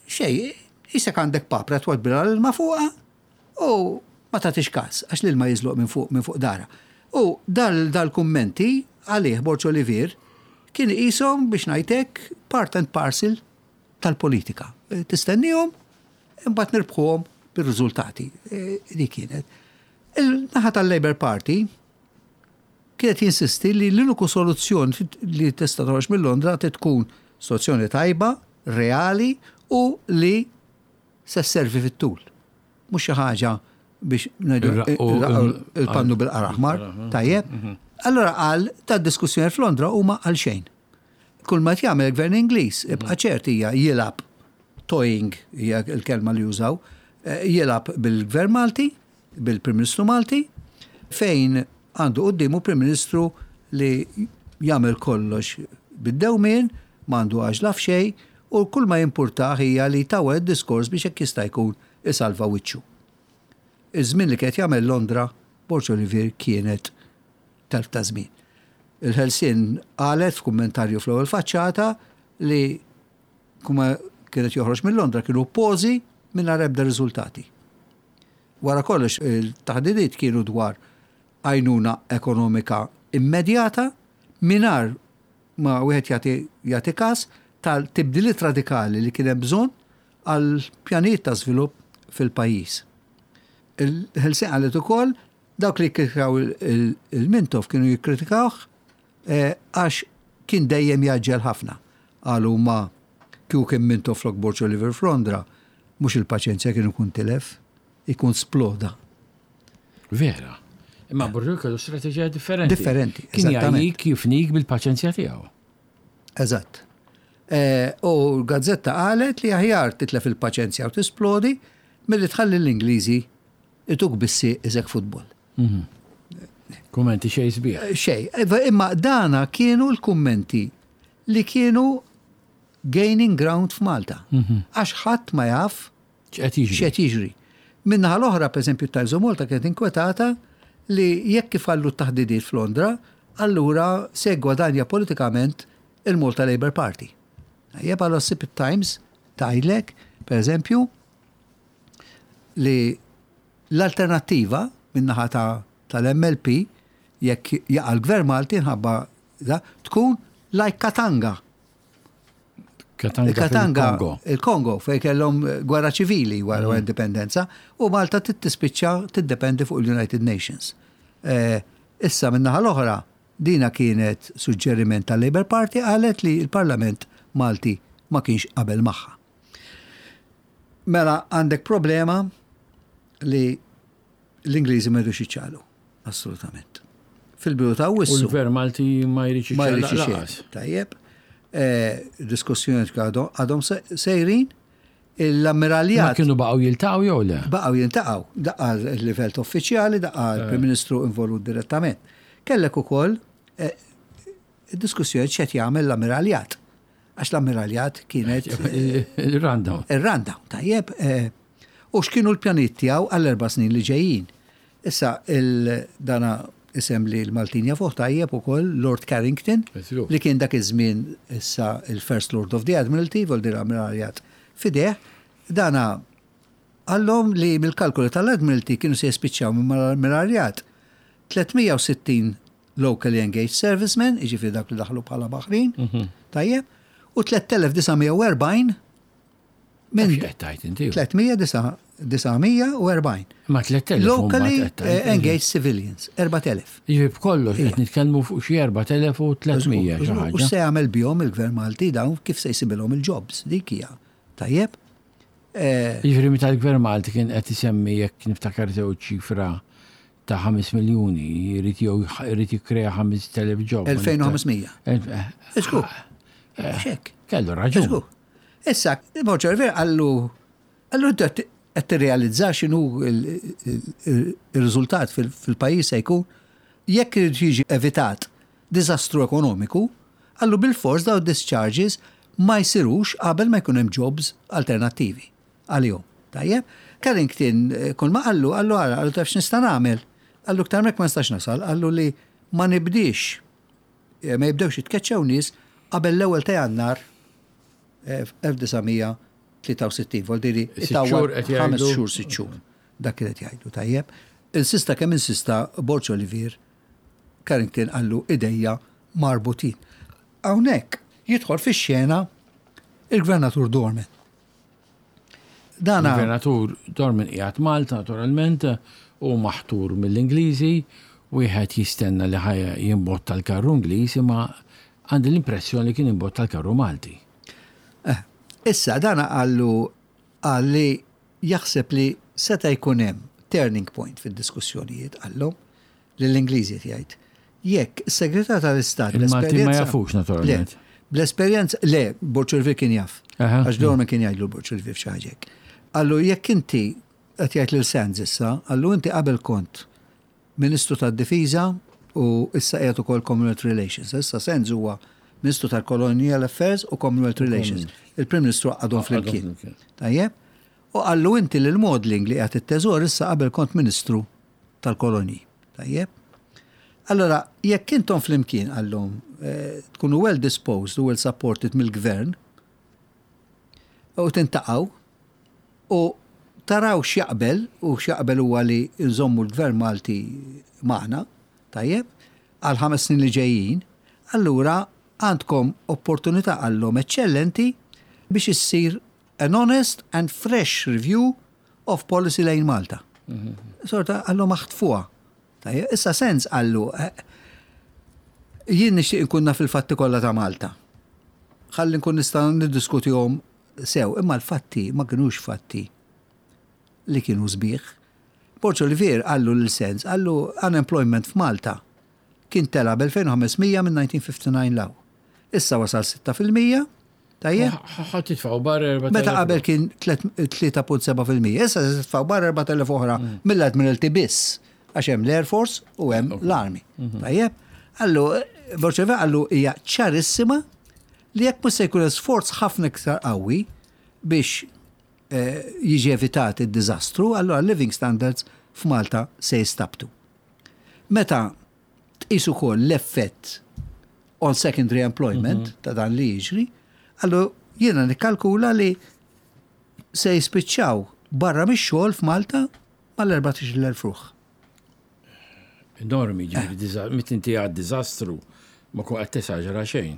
S2: xej, jisek għandek papra twadbilha l-ilma fuqha u ma tagħtix każ għax l-ilma jiżloq minn fuq minn fuq dara. U dal-kummenti għalih Borg Olivier kien iqishom biex ngħidlek part and parcel tal-politika. Tistennihom, imbagħad nirbħuhom bir-riżultati. Dik kienet. Il-naħa tal-Labour Party kienet jinsisti li l-uniku soluzzjoni li tista' toħroġ minn Londra trid tkun soluzzjoni tajba, reali u li se sservi fit-tul. Mhux xi ħaġa biex ngħidu il-pannu bil-qara aħmar, tajjeb. Mhm. Allora qal ta' diskussjoni f'Londra huma għal xejn. Kull ma jagħmel il-gvern Ingliż, ibqa' ċert hija jilgħab toying hija l-kelma li jużaw, eh, jilgħab bil-gvern Malti, bil-Prim Ministru Malti, fejn għandu quddiemu Prim Ministru li jagħmel kollox bid-dewmien, m'għandu għaġla f'xejn u kull ma jimpurtah hija li jtawwal id-diskors biex hekk jista' jkun isalva wiċċu. Iż-żmien li kien qed jagħmel Londra, Borg Olivier kienet telf ta' żmien. Il-Ħelsien qalet f'kummentarju fl-ewwel faċċata li kuma kienet joħroġ minn Londra kienu pożi mingħajr ebda riżultati. Wara kollox il-taħdidiet kienu dwar għajnuna ekonomika immedjata mingħajr ma wieħed jagħti jagħti każ tal-tibdiliet radikali li kien hemm bżonn għal pjanijiet ta' żvilupp fil-pajjiż. Il-Ħelsien qalet ukoll dawk li kkritikaw il-Mintoff kienu jikkritikawh eh, għax kien dejjem jaġġel ħafna. Qalu ma kieku kien Mintoff flok Borg Oliver f'Londra, mhux il-paċenzja kien ikun tilef, ikun sploda.
S1: Vera. Imma Borg kellu strateġija differenti.
S2: Differenti,
S1: Kien jgħajjik jifnik bil-paċenzja tiegħu.
S2: Eżatt. Eh, u l-gazzetta qalet li aħjar titlef il-paċenzja u tisplodi milli tħalli l-Ingliżi ituk bissi iżek futbol.
S1: Mhm. Kummenti xej sbieħ.
S2: Eh, xej, eh, imma dana kienu l-kummenti li kienu gaining ground f'Malta. Mhm. Għax ħadd ma jaf
S1: x'qed
S2: jiġri. Min-naħa l-oħra, pereżempju, Times of Malta kienet inkwetata li jekk ifallu t-taħdidiet f'Londra, allura se jgwadanja politikament il-Malta Labour Party. Tajjeb, allura ssib it-Times tgħidlek, pereżempju, li l-alternattiva min-naħa tal-MLP jekk jaqa' l-Gvern Malti nħabba da, tkun like Katanga.
S1: Katanga, Katanga
S2: il-Kongo, fej kellhom gwerra ċivili wara mm. indipendenza, u Malta tispiċċa tiddependi fuq il-United Nations. Eh, issa min-naħa l-oħra, dina kienet suġġeriment tal-Labour Party qalet li l-Parlament Malti ma kienx qabel magħha. Mela għandek problema li l-Ingliżi ma jridux jiċċaqlu, assolutament. Fil-bidu ta'
S1: Awwissu. U l-Gvern Malti ma jridx
S2: jiċċaqlaq. Tajjeb. Eh, diskussjoni għadhom sejrin l-ammiraljat.
S1: Ma kienu baqgħu jiltaqgħu jew le?
S2: Baqgħu jiltaqgħu, daqqa l-livell uffiċjali, daqqa eh. l-Prim Ministru involut direttament. Kellek ukoll eh, diskussjoni x'qed jagħmel l-ammiraljat. Għax l-ammiraljat kienet.
S1: Il-rundown.
S2: Il-rundown, tajjeb. Eh, u x'kienu l-pjanijiet tiegħu għall-erba' snin li ġejjin. Issa dana isem li l-Maltin jafuh tajjeb ukoll Lord Carrington li kien dak iż-żmien issa il-First Lord of the Admiralty, vol dir ammiraljat fideh, dana qallhom li mill-kalkoli tal-Admiralty kienu se jispiċċaw minn mal-ammiraljat 360 locally engaged servicemen, jiġifieri dawk li daħlu bħala baħrin, mhm. tajjeb, u 3940
S1: minn. Qed inti?
S2: 340.
S1: Ma 3000.
S2: Locally eh, engaged civilians, 4000.
S1: Jiġifieri b'kollox qed nitkellmu fuq xi 4300
S2: U se jagħmel bihom il-Gvern Malti dawn kif se jsibilhom il-jobs, dik hija. Tajjeb?
S1: Eh, jiġifieri meta l-Gvern Malti kien qed isemmi jekk niftakar sew ċifra ta' 5 miljuni, jrid jew jrid jikkrea 5,000 job.
S2: 2500. Żgur. Xek.
S1: Kellu raġun.
S2: Żgur. Issa, Borg Olivier qallu, qallu inti qed tirrealizza x'inhu ir-riżultat fil-pajjiż se jkun jekk irid jiġi evitat diżastru ekonomiku, qallu bilfors dawn id-discharges ma jsirux qabel ma jkun hemm jobs alternattivi. Għalihom. Tajjeb? Carrington kull ma qallu, qallu ara, qallu taf x'nista' nagħmel? Qallu iktar minn hekk ma nistax nasal, qallu li ma nibdiex, ma jibdewx jitkeċċew nies qabel l-ewwel ta' Jannar 1963, vol diri
S1: itawwal
S2: ħames xhur, sitt xhur. Dak kien qed jgħidu, tajjeb. Insista kemm insista Borg Olivier, Carrington qallu idejja marbutin. Hawnhekk jidħol fix-xena il-Gvernatur Dorman.
S1: Dana. Gvernatur Dorman qiegħed Malta naturalment u maħtur mill-Ingliżi, wieħed jistenna li ħa jimbotta l-karru Ingliż imma għandi l-impressjoni li kien imbotta l-karru Malti.
S2: Eh, issa dana qallu qal li jaħseb li seta' jkun hemm turning point fid-diskussjonijiet qallhom lill-Ingliżi qed jgħid. Jekk is-Segretarju tal-Istat
S1: Il-Maltin ma jafux naturalment.
S2: Bl-esperjenza, le, Borg Olivier kien jaf. Għax Dorman kien jgħidlu Borg Olivier f'xi ħaġa hekk. Qallu jekk inti qed jgħid lil Sands issa, qallu inti qabel kont Ministru tad-Difiża u issa qiegħed ukoll Commonwealth Relations. Issa Sands huwa Ministru tal-Colonial Affairs u Commonwealth Relations. Il-Prim Ministru għaqqadhom flimkien. Tajjeb? U qallu inti lil Maudling li qiegħed it-Teżor issa qabel kont Ministru tal-Kolonji. Tajjeb? Allora, jekk intom flimkien qallhom eh, tkunu well disposed u well supported mill-gvern u tintaqgħu u taraw x'jaqbel u x'jaqbel huwa li nżommu l-gvern Malti magħna, tajjeb, għal ħames snin li ġejjin, allura għandkom opportunità qallhom eċċellenti biex issir an honest and fresh review of policy lejn Malta. Sorta qallu maħtfuha. Issa sens qallu eh, jien nixtieq inkun naf il-fatti kollha ta' Malta. Ħalli nkun nista' niddiskutihom sew, imma l-fatti ma kinux fatti li kienu sbieħ. Borg Olivier qallu lil Sens, qallu unemployment f'Malta kien tela' b'2500 minn 1959 'l hawn. Issa wasal 6%, tajjeb?
S1: Ħa titfgħu barra 4,000.
S2: Meta qabel kien 3.7%. Issa se titfgħu barra 4,000 oħra mill-Admiralty biss, għax hemm l-Air Force u hemm l-Army. Tajjeb? Qallu, Borg Olivier qallu hija ċarissima li jekk mhux se jkun hemm sforz ħafna iktar qawwi biex jiġi evitat id-diżastru, allura living standards f'Malta se jistabtu. Meta tqis ukoll l-effett on secondary employment mhm. ta' dan li jiġri, allura jiena nikkalkula li se jispiċċaw barra mix-xogħol f'Malta mal-14,000 ruħ.
S1: Enormi, ġifieri eh. mit inti għad diżastru ma kun qed tesaġera xejn.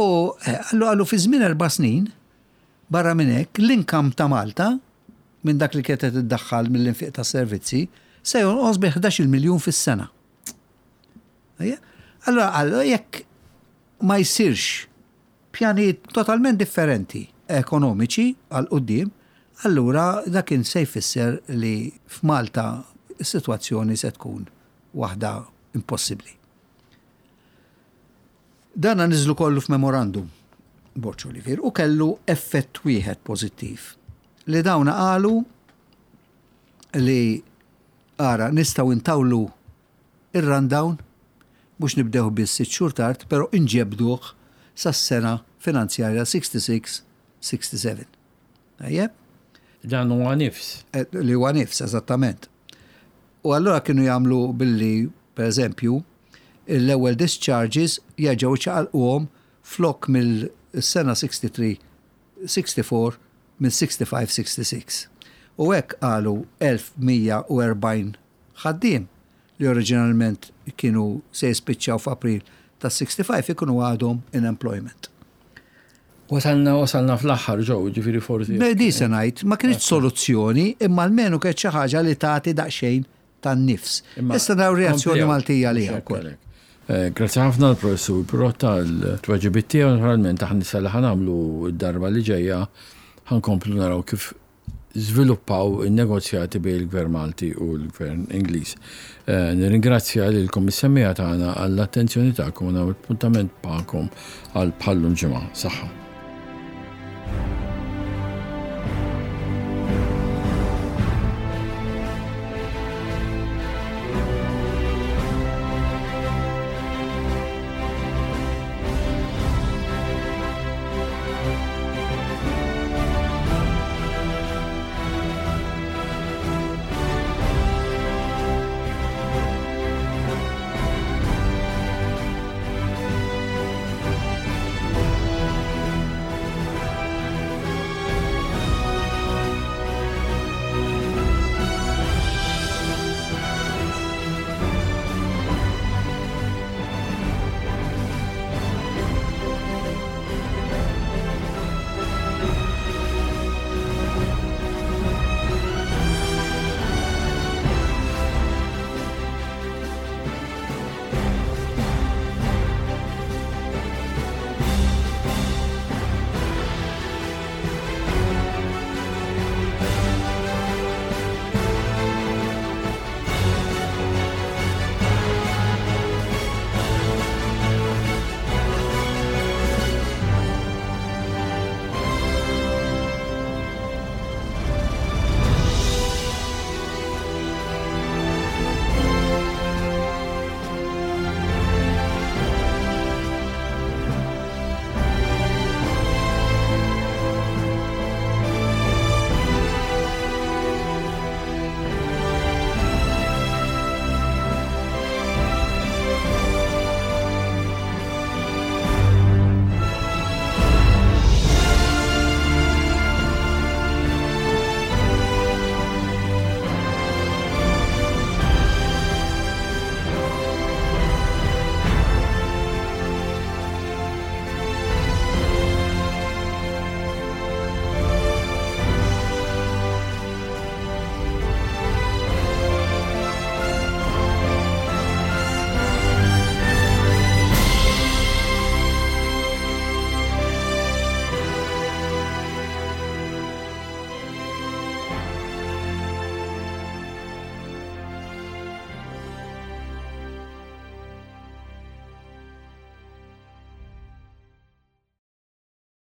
S2: U eh, għallu fi żmien erba' snin, Barra minn hekk, l-income ta' Malta minn dak li kienet qed iddaħħal mill-infiq tas-servizzi se jonqos bi 11-il miljun fis-sena. Allura qal jekk ma jsirx pjanijiet totalment differenti ekonomiċi għal quddiem, allura dak kien se jfisser li f'Malta s-sitwazzjoni se tkun waħda impossibbli. Dana niżlu kollu f'memorandum, Borg Olivier, u kellu effett wieħed pożittiv. Li dawna qalu li ara nistgħu intawlu ir-rundown mhux nibdew biss sitt xhur tard, però inġebduh sas-sena finanzjarja 66-67. Tajjeb?
S1: Dan huwa nifs.
S2: Eh, li huwa nifs, eżattament. U allura kienu jagħmlu billi, per eżempju, l-ewwel discharges jerġgħu jċaqalquhom flok mill-sena 63 64 minn 65 66. U hekk qalu 1140 ħaddiem li oriġinalment kienu se jispiċċaw f'April tas-65 ikunu għadhom in employment.
S1: Wasalna wasalna fl-aħħar ġew, ġifieri forsi.
S2: Di se ngħid, ma kienx soluzzjoni, imma almenu kienet xi ħaġa li tagħti daqsxejn tan-nifs. Issa naraw reazzjoni Maltija għaliha wkoll.
S1: Eh, grazzi ħafna l-professur Pirotta l-tweġibiet tiegħu naturalment aħna issa li ħanamlu d-darba li ġejja ħankomplu naraw kif żviluppaw in-negozjati bejn il-Gvern Malti u l-Gvern Ingliż. Eh, nirringrazzja lilkom is-semmiegħa tagħna għall-attenzjoni tagħkom u nagħmel appuntament magħkom għal bħallum ġimgħa. Saħħa.